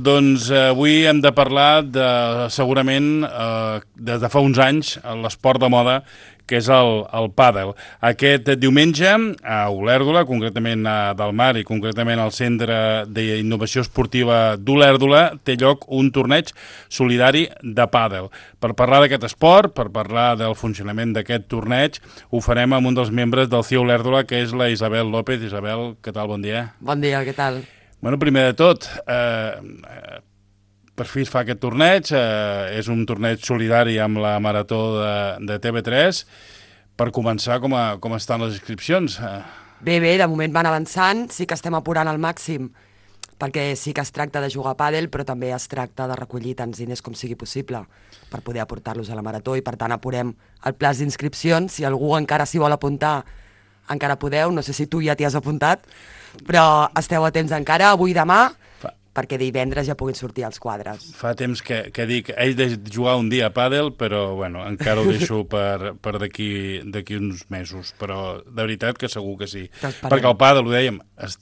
Doncs avui hem de parlar de, segurament, des de fa uns anys, l'esport de moda, que és el pàdel. Aquest diumenge, a Olèrdola, concretament a Del Mar i concretament al Centre d'Innovació Esportiva d'Olèrdola, té lloc un torneig solidari de pàdel. Per parlar d'aquest esport, per parlar del funcionament d'aquest torneig, ho farem amb un dels membres del CIE Olèrdola, que és la Isabel López. Isabel, què tal? Bon dia. Bon dia, què tal? Bueno, primer de tot, per fi es fa aquest torneig, és un torneig solidari amb la Marató de TV3. Per començar, com estan les inscripcions? Bé, de moment van avançant, sí que estem apurant al màxim, perquè sí que es tracta de jugar a pàdel, però també es tracta de recollir tants diners com sigui possible per poder aportar-los a la Marató, i per tant apurem el plaç d'inscripcions. Si algú encara s'hi vol apuntar, encara podeu, no sé si tu ja t'hi has apuntat, però esteu a temps encara, avui i demà, perquè divendres ja puguin sortir els quadres. Fa temps que dic, he de jugar un dia a pàdel, però bueno, encara ho deixo per d'aquí uns mesos, però de veritat que segur que sí. Perquè el pàdel, ho dèiem,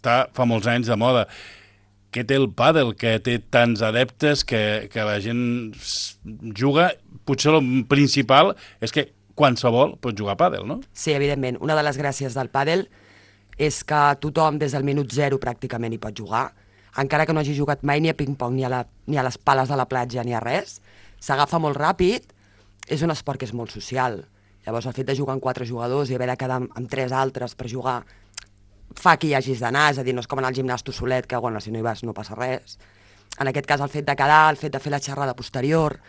fa molts anys de moda. Què té el pàdel, que té tants adeptes, que la gent juga? Potser el principal és que qualsevol pot jugar a pàdel, no? Sí, evidentment. Una de les gràcies del pàdel és que tothom des del minut zero pràcticament hi pot jugar, encara que no hagi jugat mai ni a ping-pong, ni a les pales de la platja, ni a res. S'agafa molt ràpid, és un esport que és molt social. Llavors el fet de jugar amb 4 jugadors i haver de quedar amb 3 altres per jugar fa que hi hagis d'anar, és a dir, no és com anar al gimnàs tu solet, que bueno, si no hi vas no passa res. En aquest cas el fet de quedar, el fet de fer la xerrada posterior,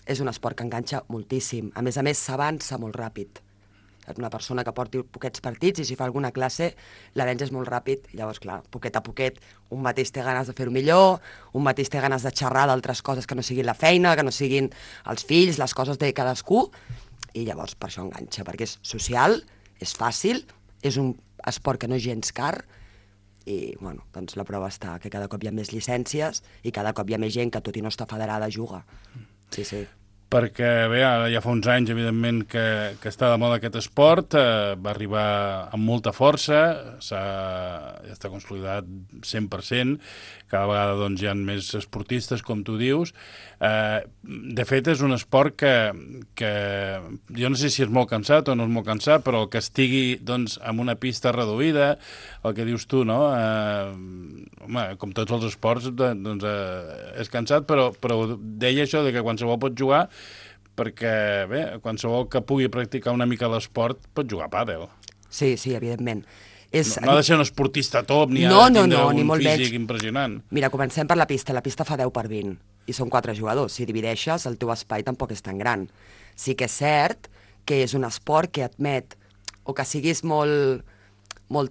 és un esport que enganxa moltíssim. A més, s'avança molt ràpid. Una persona que porti poquets partits i si fa alguna classe, l'avenç és molt ràpid. Llavors, clar, poquet a poquet, un mateix té ganes de fer-ho millor, un mateix té ganes de xerrar d'altres coses que no siguin la feina, que no siguin els fills, les coses de cadascú, i llavors per això enganxa, perquè és social, és fàcil, és un esport que no és gens car, i bueno, doncs la prova està que cada cop hi ha més llicències i cada cop hi ha més gent que, tot i no està federada, juga. Sí, sí. Perquè bé, ja fa uns anys, evidentment, que està de moda aquest esport, va arribar amb molta força, ja està consolidat 100%, cada vegada doncs, hi ha més esportistes, com tu dius. De fet, és un esport que jo no sé si és molt cansat o no és molt cansat, però el que estigui doncs, en una pista reduïda, el que dius tu, no? Home, com tots els esports, doncs, és cansat, però deia això de que qualsevol pot jugar, perquè bé, qualsevol que pugui practicar una mica l'esport pot jugar a pàdel. Sí, evidentment. No ha de ser un esportista top, ni ha de tindre un físic impressionant. Mira, comencem per la pista fa 10/20, i són 4 jugadors. Si divideixes, el teu espai tampoc és tan gran. Sí que és cert que és un esport que admet, o que siguis molt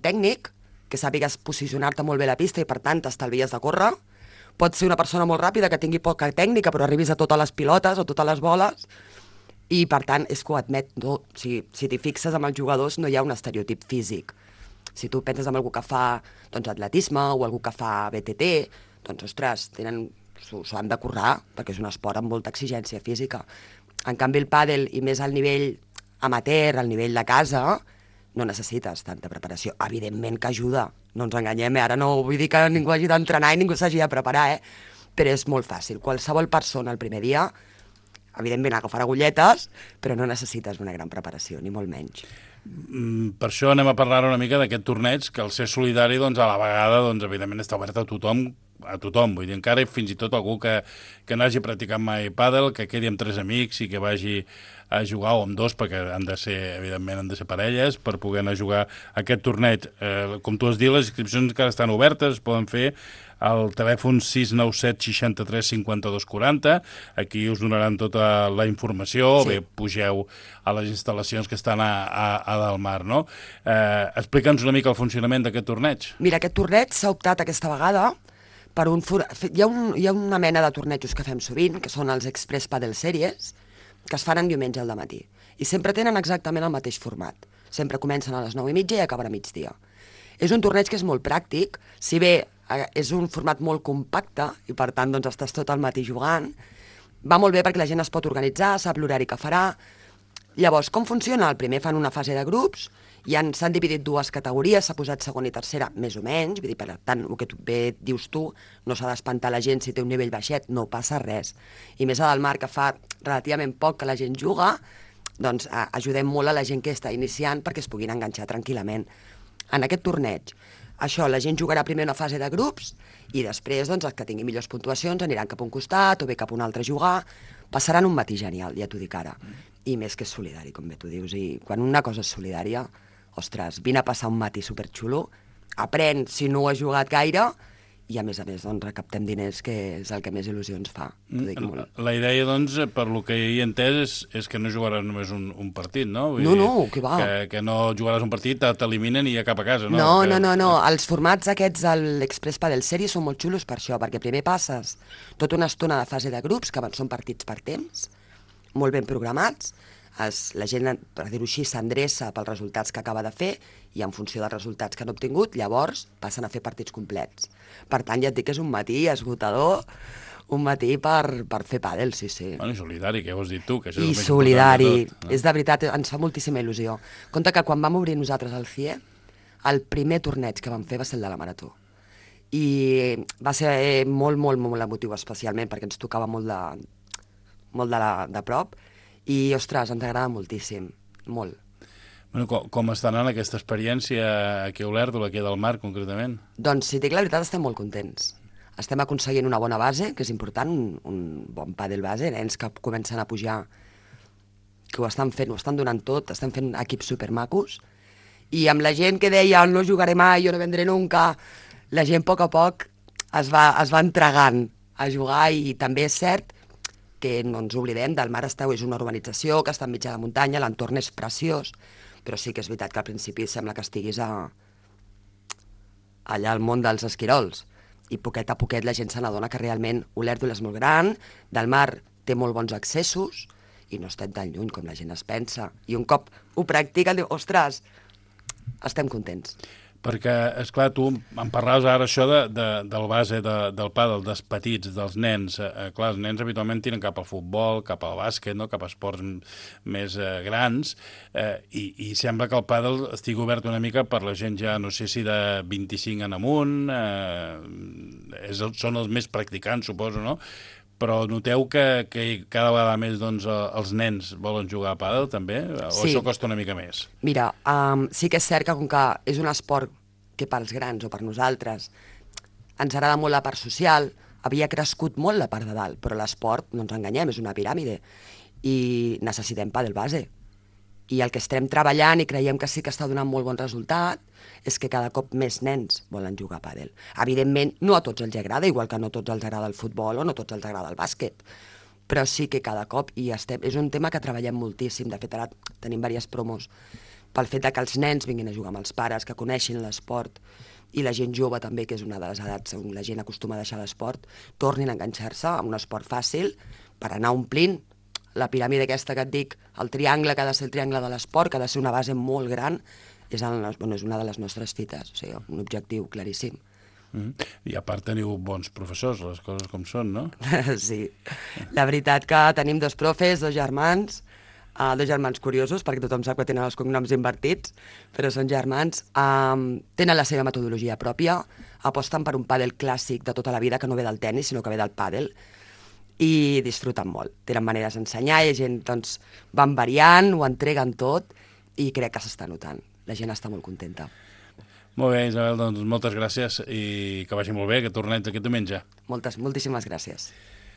tècnic, que sàpigues posicionar-te molt bé a la pista i per tant t'estalvies de córrer. Pot ser una persona molt ràpida que tingui poca tècnica però arribis a totes les pilotes o totes les boles, i per tant és que ho admet. No? Si t'hi fixes amb els jugadors no hi ha un estereotip físic. Si tu penses en algú que fa doncs, atletisme o algú que fa BTT, doncs ostres, s'ho han de currar perquè és un esport amb molta exigència física. En canvi el pàdel, i més al nivell amateur, al nivell de casa, no necessites tanta preparació. Evidentment que ajuda, no ens enganyem, ara no vull dir que ningú hagi d'entrenar i ningú s'hagi de preparar, però és molt fàcil. Qualsevol persona el primer dia, evidentment agafarà agulletes, però no necessites una gran preparació, ni molt menys. Per això anem a parlar una mica d'aquest torneig, que al ser solidari, doncs, a la vegada, doncs, evidentment està obert a tothom, vull dir, encara fins i tot algú que no hagi practicat mai pàdel, que quedi amb 3 amics i que vagi a jugar, o amb 2, perquè evidentment han de ser parelles, per poder anar a jugar aquest torneig. Com tu has dit, les inscripcions encara estan obertes, es poden fer al telèfon 697 63 52 40, aquí us donaran tota la informació, sí. O bé pugeu a les instal·lacions que estan a Del Mar, no? Explica'ns una mica el funcionament d'aquest torneig. Mira, aquest torneig s'ha optat aquesta vegada per hi ha una mena de tornejos que fem sovint, que són els Express Padel Series, que es fan en diumenge al dematí. I sempre tenen exactament el mateix format. Sempre comencen a les 9:30 i acaben a migdia. És un torneig que és molt pràctic, si bé és un format molt compacte i per tant doncs, estàs tot el matí jugant, va molt bé perquè la gent es pot organitzar, sap l'horari que farà. Llavors, com funciona? El primer fan una fase de grups S'han dividit dues categories, s'ha posat segona i tercera, més o menys, vull dir, per tant, el que bé dius tu, no s'ha d'espantar la gent si té un nivell baixet, no passa res. I més a del Mar, que fa relativament poc que la gent juga, doncs ajudem molt a la gent que està iniciant perquè es puguin enganxar tranquil·lament. En aquest torneig, això, la gent jugarà primer una fase de grups i després, doncs, els que tinguin millors puntuacions aniran cap a un costat o bé cap a un altre a jugar. Passaran un matí genial, ja t'ho dic ara. I més que és solidari, com bé tu dius. I quan una cosa és solidària, ostres, vine a passar un matí superxulo, aprèn si no has jugat gaire i a més, doncs, recaptem diners, que és el que més il·lusió ens fa. La idea, doncs, per lo que he entès, és que no jugaràs només un partit, no? No, que va. Que no jugaràs un partit, t'eliminen i ja cap a casa, no? No. Els formats aquests de l'Express Padel Series són molt xulos per això, perquè primer passes tota una estona de fase de grups, que són partits per temps, molt ben programats, la gent, per dir-ho així, s'endreça pels resultats que acaba de fer i en funció dels resultats que han obtingut, llavors passen a fer partits complets. Per tant, ja et dic que és un matí esgotador, un matí per fer pàdel, sí. Bueno, i solidari, que ho has dit tu, que això és I el més solidari, important de tot, no? és de veritat, ens fa moltíssima il·lusió. Compte que quan vam obrir nosaltres el CIE, el primer torneig que vam fer va ser el de la Marató. I va ser molt emotiu, especialment, perquè ens tocava molt de prop, i, ostres, ens agrada moltíssim, molt. Bueno, com està anant aquesta experiència aquí a Olèrdola, aquí del Mar, concretament? Doncs, si dic la veritat, estem molt contents. Estem aconseguint una bona base, que és important, un bon pàdel base, nens que comencen a pujar, que ho estan fent, ho estan donant tot, estan fent equips supermacos, i amb la gent que deia no jugaré mai, jo no vendré nunca, la gent a poc es va entregant a jugar, i també és cert que no ens oblidem, del Mar Esteu és una urbanització que està enmig de la muntanya, l'entorn és preciós, però sí que és veritat que al principi sembla que estiguis allà al món dels esquirols, i poquet a poquet la gent se n'adona que realment Olèrdola és molt gran, del Mar té molt bons accessos, i no estem tan lluny com la gent es pensa, i un cop ho practiquen, diu, ostres, estem contents. Perquè, esclar, tu em parlaves ara això del base del pàdel, dels petits, dels nens. Clar, els nens habitualment tiren cap al futbol, cap al bàsquet, no? Cap a esports més grans, i sembla que el pàdel estigui obert una mica per la gent ja, no sé si de 25 en amunt, són els més practicants, suposo, no? Però noteu que cada vegada més, doncs, els nens volen jugar a pàdel, també? O Sí. això costa una mica més? Mira, sí que és cert que com que és un esport que pels grans o per nosaltres ens agrada molt la part social, havia crescut molt la part de dalt, però l'esport, no ens enganyem, és una piràmide i necessitem pàdel base. I el que estem treballant i creiem que sí que està donant molt bon resultat és que cada cop més nens volen jugar a pàdel. Evidentment, no a tots els agrada, igual que no a tots els agrada el futbol o no a tots els agrada el bàsquet, però sí que cada cop és un tema que treballem moltíssim. De fet, ara tenim diverses promos pel fet de que els nens vinguin a jugar amb els pares, que coneixin l'esport, i la gent jove també, que és una de les edats on la gent acostuma a deixar l'esport, tornin a enganxar-se a un esport fàcil per anar omplint la piràmide aquesta que et dic, el triangle que ha de ser el triangle de l'esport, que ha de ser una base molt gran, és una de les nostres fites, o sigui, un objectiu claríssim. I a part teniu bons professors, les coses com són, no? Sí, la veritat que tenim dos profes, dos germans curiosos, perquè tothom sap que tenen els cognoms invertits, però són germans, tenen la seva metodologia pròpia, aposten per un pàdel clàssic de tota la vida, que no ve del tennis, sinó que ve del pàdel, i disfruten molt. Tenen maneres d'ensenyar i la gent, doncs, van variant, ho entreguen tot, i crec que s'està notant. La gent està molt contenta. Molt bé, Isabel, doncs moltes gràcies i que vagi molt bé aquest torneig aquest diumenge. Moltíssimes gràcies.